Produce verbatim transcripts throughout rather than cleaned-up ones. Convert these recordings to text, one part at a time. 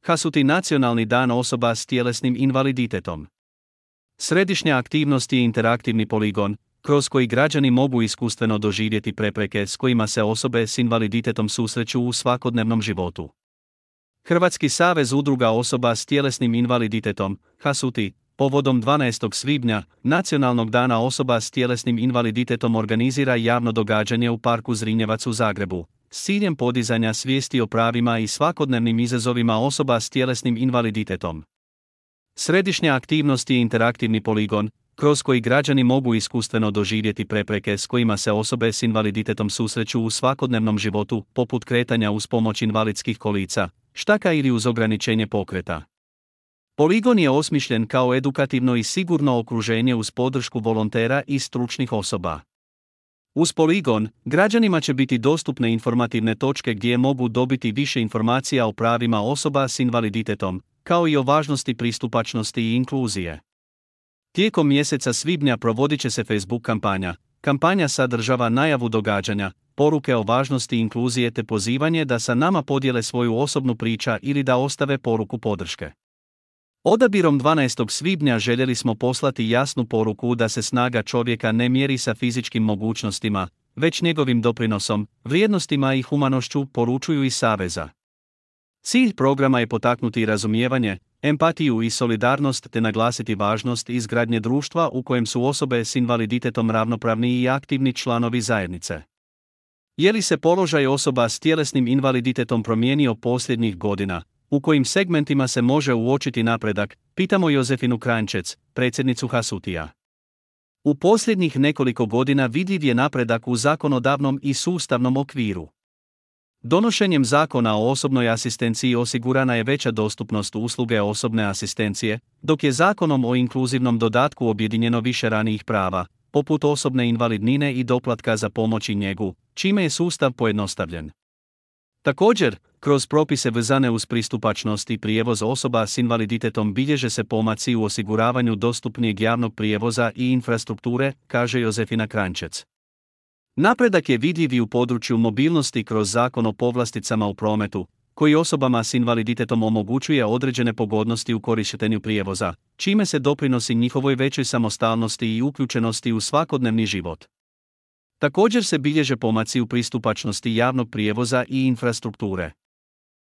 Hasuti Nacionalni dan osoba s tjelesnim invaliditetom. Središnja aktivnost je interaktivni poligon, kroz koji građani mogu iskustveno doživjeti prepreke s kojima se osobe s invaliditetom susreću u svakodnevnom životu. Hrvatski savez udruga osoba s tjelesnim invaliditetom, Hasuti, povodom dvanaestog svibnja, Nacionalnog dana osoba s tjelesnim invaliditetom organizira javno događanje u parku Zrinjevac u Zagrebu, s ciljem podizanja svijesti o pravima i svakodnevnim izazovima osoba s tjelesnim invaliditetom. Središnja aktivnost je interaktivni poligon, kroz koji građani mogu iskustveno doživjeti prepreke s kojima se osobe s invaliditetom susreću u svakodnevnom životu, poput kretanja uz pomoć invalidskih kolica, štaka ili uz ograničenje pokreta. Poligon je osmišljen kao edukativno i sigurno okruženje uz podršku volontera i stručnih osoba. Uz poligon, građanima će biti dostupne informativne točke gdje mogu dobiti više informacija o pravima osoba s invaliditetom, kao i o važnosti pristupačnosti i inkluzije. Tijekom mjeseca svibnja provodit će se Facebook kampanja. Kampanja sadržava najavu događanja, poruke o važnosti inkluzije te pozivanje da sa nama podijele svoju osobnu priču ili da ostave poruku podrške. Odabirom dvanaestog svibnja željeli smo poslati jasnu poruku da se snaga čovjeka ne mjeri sa fizičkim mogućnostima, već njegovim doprinosom, vrijednostima i humanošću, poručuju iz Saveza. Cilj programa je potaknuti razumijevanje, empatiju i solidarnost te naglasiti važnost izgradnje društva u kojem su osobe s invaliditetom ravnopravni i aktivni članovi zajednice. Je li se položaj osoba s tjelesnim invaliditetom promijenio posljednjih godina? U kojim segmentima se može uočiti napredak, pitamo Josefinu Kranjčec, predsjednicu Hasutija. U posljednjih nekoliko godina vidljiv je napredak u zakonodavnom i sustavnom okviru. Donošenjem Zakona o osobnoj asistenciji osigurana je veća dostupnost usluge osobne asistencije, dok je Zakonom o inkluzivnom dodatku objedinjeno više ranijih prava, poput osobne invalidnine i doplatka za pomoć i njegu, čime je sustav pojednostavljen. Također, kroz propise vezane uz pristupačnost i prijevoz osoba s invaliditetom bilježe se pomaci u osiguravanju dostupnijeg javnog prijevoza i infrastrukture, kaže Josefina Kranjčec. Napredak je vidljiv i u području mobilnosti kroz Zakon o povlasticama u prometu, koji osobama s invaliditetom omogućuje određene pogodnosti u korištenju prijevoza, čime se doprinosi njihovoj većoj samostalnosti i uključenosti u svakodnevni život. Također se bilježe pomaci u pristupačnosti javnog prijevoza i infrastrukture.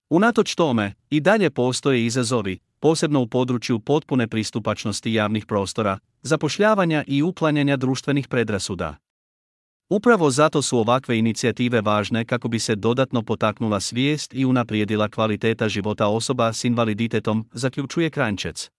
Unatoč tome, i dalje postoje izazovi, posebno u području potpune pristupačnosti javnih prostora, zapošljavanja i uklanjanja društvenih predrasuda. Upravo zato su ovakve inicijative važne kako bi se dodatno potaknula svijest i unaprijedila kvaliteta života osoba s invaliditetom, zaključuje Kranjčec.